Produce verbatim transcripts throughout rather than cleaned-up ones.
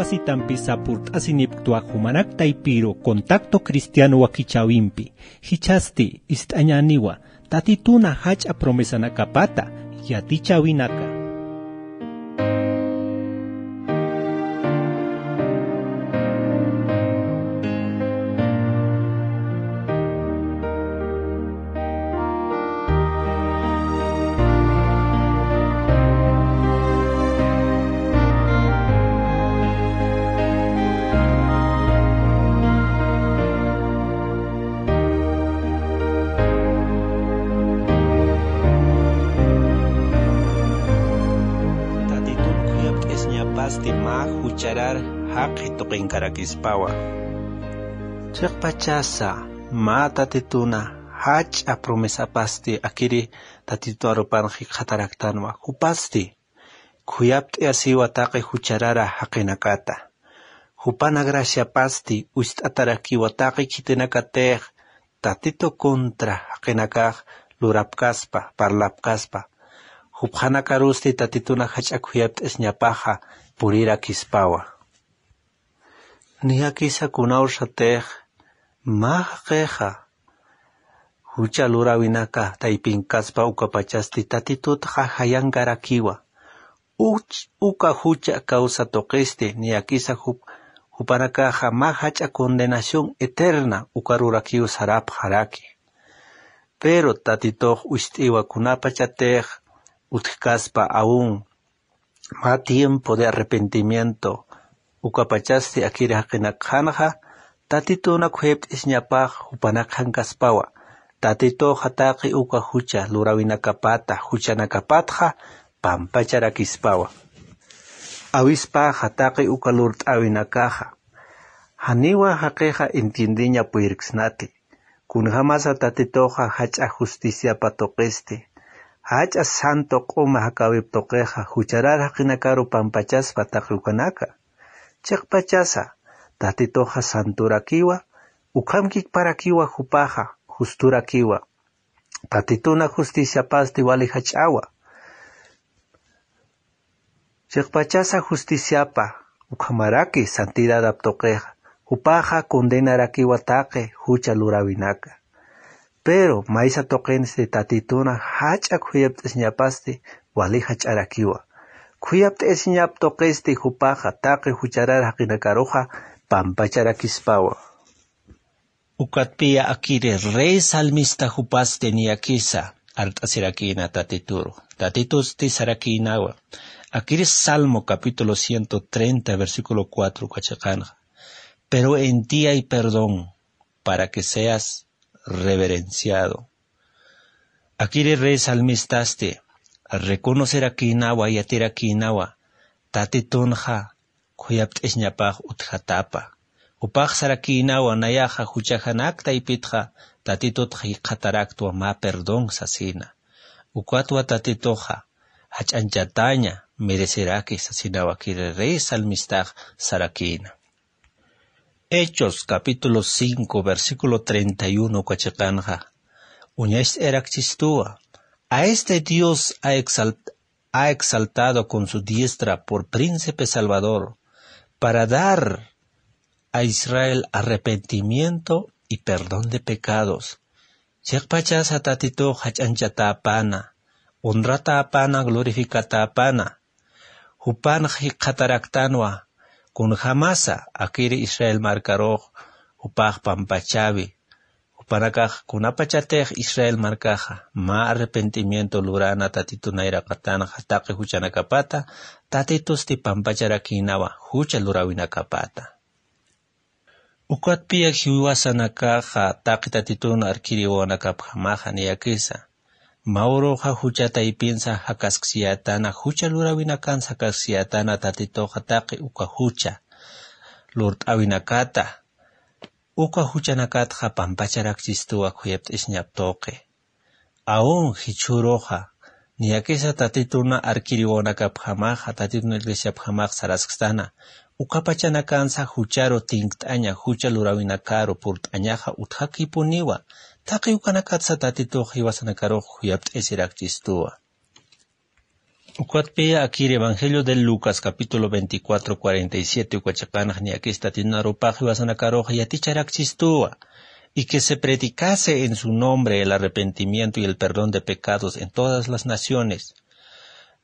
Asitampi sapurt'asinipktwa jumanak taypiru Contacto Cristiano wakichäwimpi. Jichhasti ist'añäniwa Tatituna jach'a promesanakapata yatichäwinaka. Tatitun khuyapt'isñapasti mä jucharar jaqi tuqinkarakispawa. Chiqpachasa mä Tatituna jach'a promesapasti akiri Tatitun arupan jikxataraktanwa, jupasti khuyapt'ayasiwa taqi jucharara jaqinakata. Jupan graciapasti uñst'atarakiwa taqi khitinakatix Tatitu contra jaqinakax lurapkaspa, parlapkaspa. Jupxanakarusti Tatituna jach'a khuyapt'isñapaxa purirakispawa. Niyakisa kunawsatix mä jaqixa jucha luräwinaka taypinkaspa ukapachasti Tatitutxa jayankarakiwa. Uch-, uka jucha causa tuqisti niyakisa jup-, jupanakaxa mä jach'a condenación eterna ukarurakiw sarapxaraki. Pero Tatitux uñst'iwa kunapachatix utjkaspa aún mä tiempo de arrepentimiento, ukapachasti akiri jaqinakxanxa, Tatituna khuyapt'isñapax jupanakxankaspawa, Tatituxa taqi uka jucha luräwinakapata, juchanakapatxa pampacharakispawa. Awispaxa taqi uka lurt'äwinakaxa, janiwa jaqixa entiendeña puyirksnati. Kunjamasa Tatituxa jach'a justiciapa tuqisti, jach'a santo q'uma jakäwip tuqixa, jucharar jaqinakaru pampachaspa taqi ukanaka. Chiqpachasa, Tatituxa santorakiwa, ukham kikparakiwa jupaxa, justorakiwa. Tatituna justiciapasti wali jach'awa. Chiqpachasa justiciapa ukhamaraki santidadap tuqixa, jupaxa condenarakiwa taqi jucha luräwinaka. Pero maysa tuqinsti Tatituna jach'a khuyapt'isñapasti wali jach'arakiwa. Khuyapt'isñap tuqisti jupaxa taqi jucharar jaqinakaruxa pampacharakispawa. Ukatpiya akiri rey salmista jupasti niyakisa art'asirakïna Tatituru. Tatitusti sarakïnawa. Akiri Salmo capítulo ciento treinta, versículo cuatro uka chiqanxa: "Pero en ti hay perdón, para que seas reverenciado". Akiri rey salmistasti reconocerakïnawa, yatirakïnawa Tatitunxa khuyapt'isñapax utjatapa. Jupax sarakïnawa nayaxa juchajanak taypitxa Tatitutxa jikxataraktwa mä perdón sasina. Ukatwa Tatituxa jach'añchataña mereceraki sasinawa akiri rey salmistax sarakïna. Hechos capítulo cinco, versículo treinta y uno uka chiqanxa uñacht'ayarakchistuwa: "A este Dios ha exalt-, ha exaltado con su diestra por príncipe salvador, para dar a Israel arrepentimiento y perdón de pecados". Chiqpachasa Tatitux jach'añchatäpana, honratäpana, glorificatäpana. Jupanx jikxataraktanwa, kunjamasa akiri Israel markarux jupax pampachäwi. Jupanakax kunapachatix Israel markaxa mä arrepentimiento lurana Tatitu nayraqatanxa taqi juchanakapata, Tatitusti pampacharakïnawa jucha luräwinakapata. Ukatpiya jiwasanakaxa taqi Tatitun arkiriwanakapjamaxa niyakisa, mä uruxa jucha taypinsa jakasksiyätana, jucha luräwinakansa jakasksiyätana Tatituxa taqi uka jucha lurt'äwinakata, uka juchanakatxa pampacharakchistuwa khuyapt'isñap tuqi. Aun jichhüruxa, niyakisa Tatitun arkiriwanakapjamaxa, Tatitun iglesiapjamax saraskstana, uka pachanakansa jucharu tinkt'aña, jucha luräwinakaru purt'añaxa utjakipuniwa, taqi ukanakatsa Tatitux jiwasanakarux khuyapt'isirakchistuwa. Ukatpiya akir Evangelio de Lucas, capítulo veinticuatro, cuarenta y siete, uka chiqanxa niyakis Tatitun arupax jiwasanakarux yaticharakchistuwa, y que se predicase en su nombre el arrepentimiento y el perdón de pecados en todas las naciones.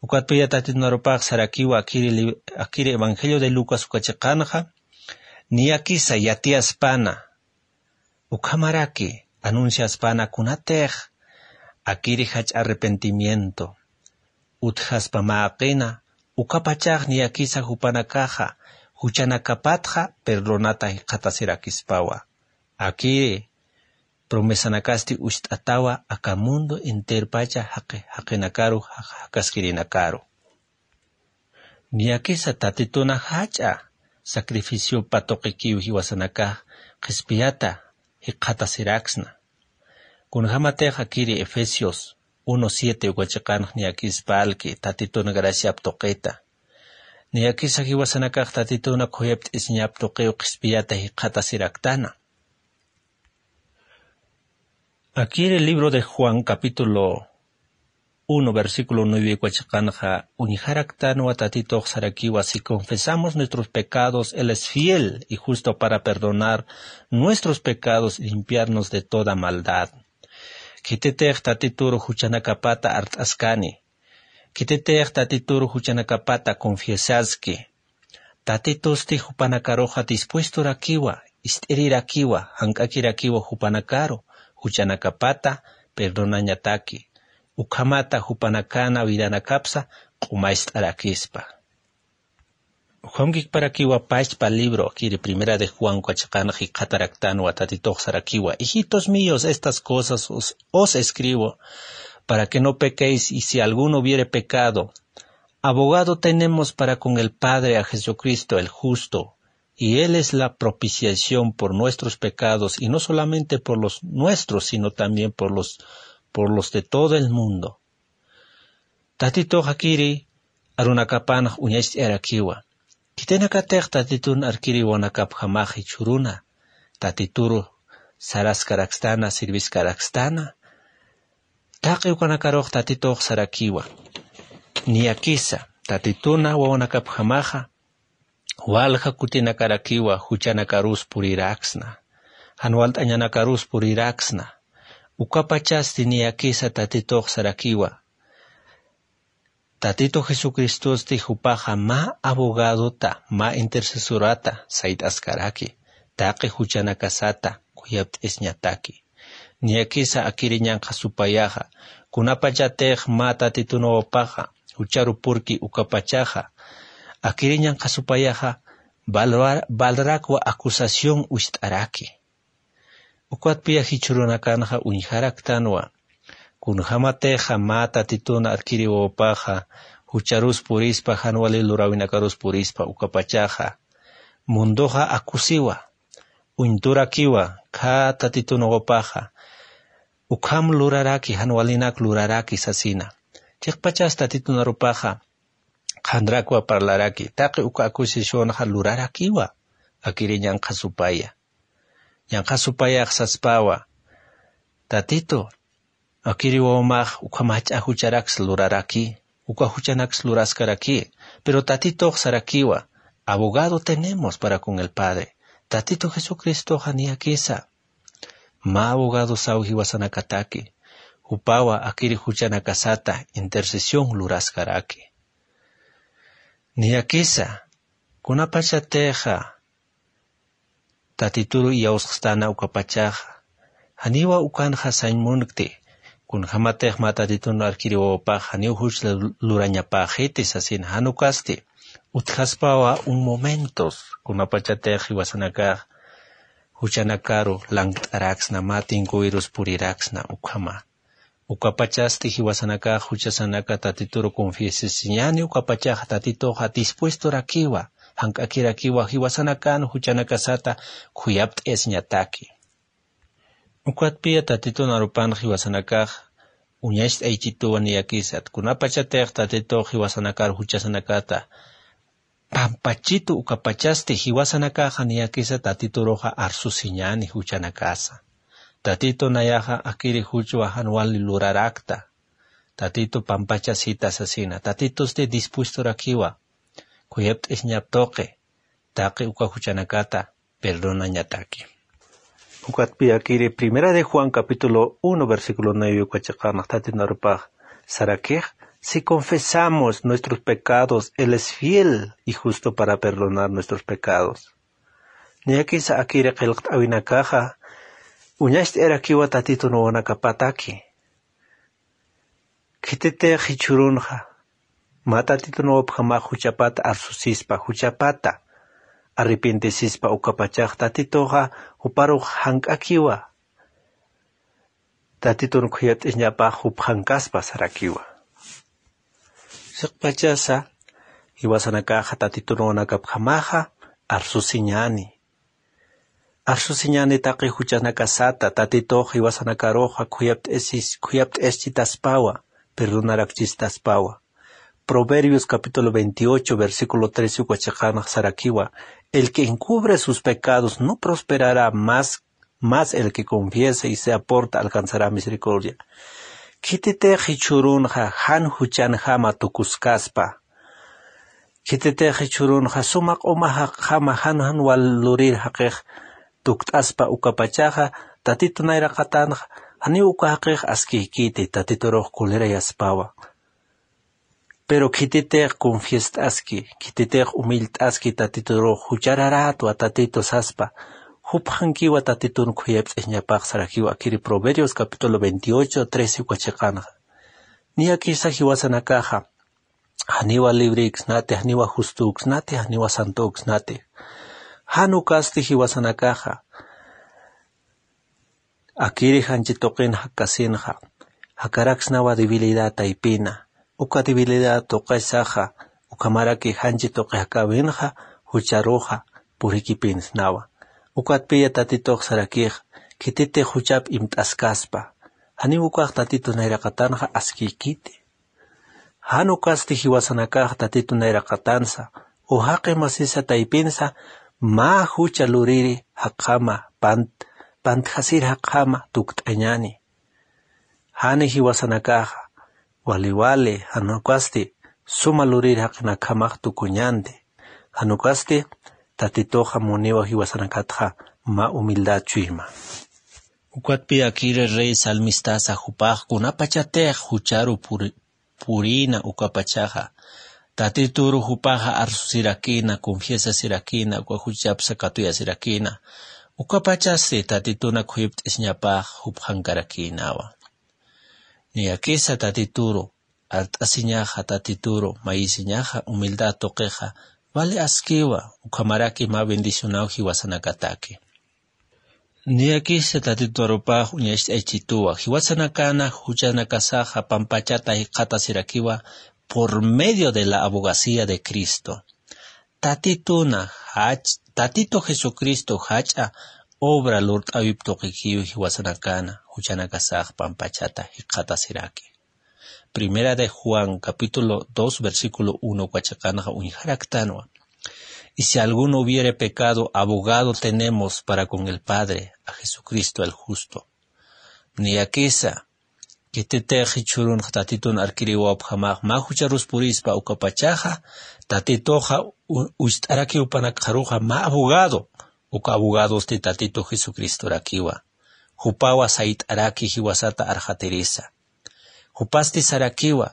Ukatpiya Tatitun arupax sarakiwa akir li-, akir Evangelio de Lucas uka chiqanxa, niyakisa yatiyaspana, ukhamaraki anunciaspana kunatix akiri jach'a arrepentimiento utjaspa mäqina, ukapachax niyakisa jupanakaxa juchanakapatxa perdonata jikxatasirakispawa. Akiri promesanakasti ucht'atawa aka mundo enterpacha jaqi-, jaqinakaru, jaq-, jakaskirinakaru. Niyakisa Tatituna jach'a sacrificiopa tuqikiw jiwasanakax qhispiyata jikxatasiraksna. Kunjämatix akiri Efesios uno siete uka chiqanx niyakis parlki Tatitun graciap tuqita. Niyakisa jiwasanakax Tatituna khuyapt'isiñap tuqiw qhispiyata jikxatasiraktana. Akir el libro de Juan, capítulo uno, versículo nueve, uka chiqanxa uñjaraktanwa Tatitux sarakiwa: "Si confesamos nuestros pecados, Él es fiel y justo para perdonar nuestros pecados y limpiarnos de toda maldad". Khititix Tatituru juchanakapata art'askani, khititix Tatituru juchanakapata confiesaski, Tatitusti jupanakaruxa dispuestorakiwa, ist'irirakiwa, jank'akirakiwa jupanakaru, juchanakapata perdonañataki, ukhamata jupanakana vidanakapsa q'umayst'arakispa. Ukham kikparakiwa pachpa libro, akiri Primera de Juan uka chiqanx jikxataraktanwa, Tatitux sarakiwa: "Hijitos míos, estas cosas os, os escribo para que no pequéis, y si alguno hubiere pecado, abogado tenemos para con el Padre, a Jesucristo el justo, y Él es la propiciación por nuestros pecados, y no solamente por los nuestros, sino también por los, por los de todo el mundo". Tatitux akiri arunakapanx uñacht'arakiwa. Khitinakatix Tatitun arkiri wawanakapjamax jichhüruna Tatituru saraskarakstana, sirviskarakstana, taqi ukanakarux Tatitux sarakiwa. Niyakisa Tatituna wawanakapjamaxa walja kutinakarakiwa, juchanakarus puriraksna, jan walt'añanakarus puriraksna. Ukapachasti niyakisa Tatitux sarakiwa. Tatitu Jesucristosti jupaxa mä abogadota, mä intercesorata sayt'askaraki, taqi juchanakasata khuyapt'isñataki. Niyakisa akiri ñanqha supayaxa, kunapachatix mä Tatitun wawapaxa jucharu purki ukapachaxa, akiri ñanqha supayaxa valra-, valrakwa acusación ucht'araki. Ukatpiya jichhürunakanxa uñjaraktanwa, kunjämatixa mä Tatitun arkiri wawapaxa jucharus purispa, jan wali luräwinakarus purispa ukapachaxa, munduxa akusiwa, uñturakiwa, khä Tatitun wawapaxa ukham luraraki, jan walinak luraraki sasina. Chiqpachas Tatitun arupaxa qhanrakwa parlaraki, taqi uka acusacionxa lurarakiwa, akiri ñanqha supaya. Ñanqha supayax saspawa: Tatitu, akiri wawamax ukham jach'a jucharaks luraraki, uka juchanaks luraskaraki, pero Tatitux sarakiwa: abogado tenemos para con el Padre. Tatitu Jesucristoxa niyakisa mä abogadosaw jiwasanakataki, jupawa akiri juchanakasata intercesión luraskaraki. Niyakisa, kunapachatixa Tatituru iyawsxstana ukapachaxa, janiwa ukanxa sañ munkti, kunjämatix mä Tatitun arkiri wawapax janiw juch lu-, lurañapäxiti sasina, jan ukasti utjaspawa un momentos, kunapachatix jiwasanakax juchanakaru lankt'araksna, mä tinkuwirus puriraksna ukhama. Ukapachasti jiwasanakax juchasanaka Tatituru confiesisiñani, ukapachaxa Tatituxa dispuestorakiwa, jank'akirakiwa jiwasanakan juchanakasata khuyapt'ayasiñataki. Ukatpiya Tatitun arupan jiwasanakax uñacht'aychituwa niyakisat, kunapachatix Tatitux jiwasanakar juchasanakata pampachitu ukapachasti jiwasanakaxa niyakisa Tatituruxa arsusiñani juchanakasa. Tatitu nayaxa akiri juchwa jan wali lurarakta, Tatitu pampachasita sasina. Tatitusti dispuestorakiwa khuyapt'isñap tuqi taqi uka juchanakata perdonañataki. Ukatpi akiri Primera de Juan capítulo uno versículo nueve uka chiqanx Tatitu narupax sarakix: "Si confesamos nuestros pecados, él es fiel y justo para perdonar nuestros pecados". Niyakisa akiri qillqt'awinakaxa uñacht'ayarakiwa Tatitu naruwanakapataki. Khititix jichhürunxa mä Tatitu naruwapjamax juchapata arsusispa, juchapata arrepentesispa, ukapachax Tatituxa juparux jank'akiwa. Tatitun khuyapt'isñapax jupxankaspa sarakiwa. Siqpachasa jiwasanakaxa Tatitu naruwanakapjamaxa arsusiñäni. Arsusiñäni taqi juchanakasata Tatitux jiwasanakaruxa khuyapt'is, khuyapt'ischitaspawa, perdonarakchistaspawa. Proverbios capítulo veintiocho, versículo trece uka chiqanx sarakiwa: "El que encubre sus pecados no prosperará más, más el que confiese y se aparta alcanzará misericordia". Khititix jichhürunxa jan juchanjama tukuskaspa, khititix jichhürunxa suma q'uma jaqjama jan jan wal lurir jaqix tukt'aspa, ukapachaxa Tatitu nayraqatanxa janiw uka jaqix askiykiti, Tatiturux colerayaspawa. Pero khititix confiest'aski, khititix humillt'aski Tatiturux, juchararätwa Tatitu saspa, jupxankiwa Tatitun khuyapt'isñapax sarakiwa akiri Proverbios capítulo veintiocho, trece uka chiqanxa. Niyakisa jiwasanakaxa janiwa librïksnati, janiwa justüksnati, janiwa santüksnati. Jan ukasti jiwasanakaxa akiri janchi tuqin jakkasinxa jakaraksnawa debilidad taypina. Uka debilidad tuqisaxa ukhamaraki janchi tuqi jakäwinxa jucharuxa purikipinsnawa. Ukatpiya Tatitux sarakix khititix juchap imt'askaspa, janiw ukax Tatitu nayraqatanxa askiykiti. Jan ukasti jiwasanakax Tatitu nayraqatansa o jaqi masisa taypinsa mä jucha luriri jaqjama pant, pantjasir jaqjama tukt'añäni. Jani jiwasanakaxa wali wali jan ukasti suma lurir jaqinakjamax tukuñänti. Jan ukasti Tatituxa muniwa jiwasanakatxa mä humildad chuyma. Ukatpi akiri rey salmistasa jupax kunapachatix jucharu puri, purïna ukapachaxa Tatituru jupaxa arsusirakïna, confiesasirakïna, uka juchapsa katuyasirakïna, ukapachasti Tatituna khuyipt'isñapax jupxankarakïnawa. Niyakisa Tatituru art'asiñaxa, Tatituru mayisiñaxa humildad tuqixa vale askiwa, ukhamaraki mä bendicionaw jiwasanakataki. Niyakisa Tatiturupax uñacht'aychituwa, jiwasanakana juchanakasaxa pampachata jikxatasirakiwa por medio de la abogacía de Cristo. Tatituna jach, Tatitu Jesucristo jach'a obra lurt'äwip tuqikiw jiwasanakana juchanakasax pampachata jikxatasiraki. Primera de Juan, capítulo dos, versículo uno uka chiqanxa uñjaraktanwa: "Y si alguno hubiere pecado, abogado tenemos para con el Padre, a Jesucristo el justo". Niyakisa, khititix jichhürunxa Tatitun arkiriwapjamax mä jucharus purispa ukapachaxa, Tatituxa u, ucht'arakiw jupanakxaruxa mä abogado, uka abogadosti Tatitu Jesucristorakiwa. Jupawa sayt'araki jiwasata arxatirisa. Jupasti sarakiwa,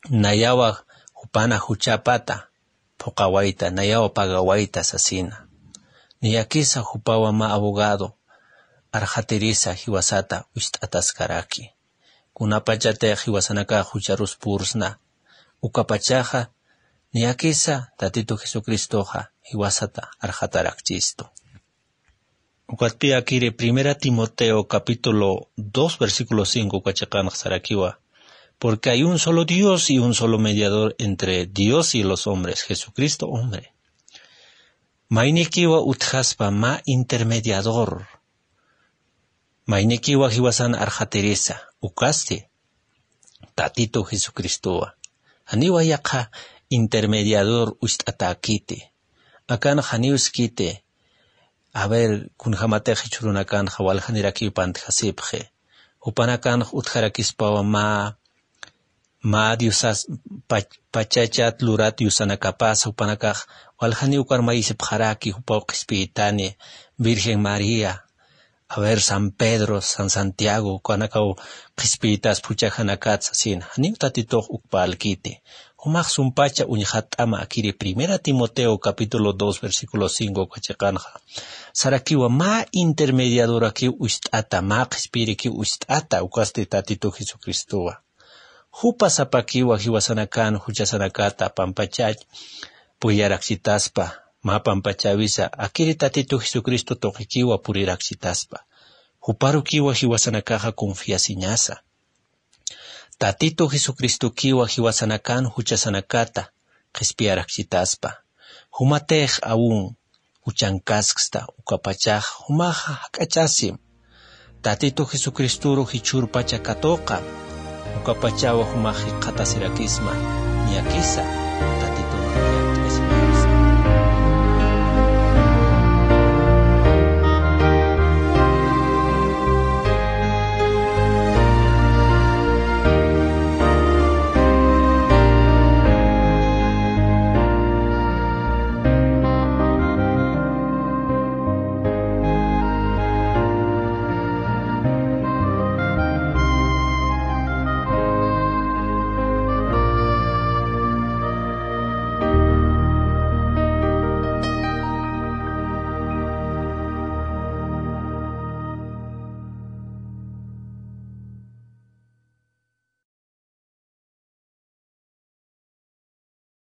nayawa jupana juchapata phuqawayta, nayawa pagawayta sasina. Niyakisa jupawa mä abogado arxatirisa jiwasata ucht'ataskaraki. Kunapachatix jiwasanakax jucharus pursna, ukapachaxa niyakisa Tatitu Jesucristoxa jiwasata arxatarakchistu. Ukatpï akiri Primera Timoteo capítulo dos, versículo cinco uka chiqanx sarakiwa: "Porque hay un solo Dios y un solo mediador entre Dios y los hombres, Jesucristo hombre". Maynikiwa utjaspa mä intermediador. Maynikiwa jiwasan arxatirisa, ukasti Tatitu Jesucristowa. Janiwa yaqha intermediador ucht'atäkiti. Akan janiw skiti, a ver, kunjamatix jichhürunakanxa waljanirakiw pantjasipxi. Jupanakanx utjarakispawa mä mä diosas pach- pachachat lurat diosanakapasa jupanakax waljaniw karmayisipxaraki jupaw qhispiyitani virgen maría, a ver san pedro san santiago ukanakaw qhispiyitas phuchajanakatsa sina janiw tatitux ukpalkiti. Jumax sumpacha uñjatt'ama akiri primera timoteo capítulo dos versículo cinco ukachiqanxa sarakiwa mä intermediadorakiw ucht'ata mä qhispiyirikiw ucht'ata ukasti tatitu jesucristowa. Jupa sapakiwa jiwasanakan juchasanakata pampachach pullaraksitaspa mä pampachäwisa akiri tatitu jesucristo tuqikiwa puriraksitaspa. Juparukiwa jiwasanakaxa confiasiñasa. Tatitu jesucristokiwa jiwasanakan juchasanakata qhispiyaraksitaspa. Jumatix awun juchankaskssta ukapachax jumaxa jak'achasim. Tatitu jesucristoru jichhürpacha katuqa ukapachawa jumax jikxatasirakisma. Ñakisa tatitu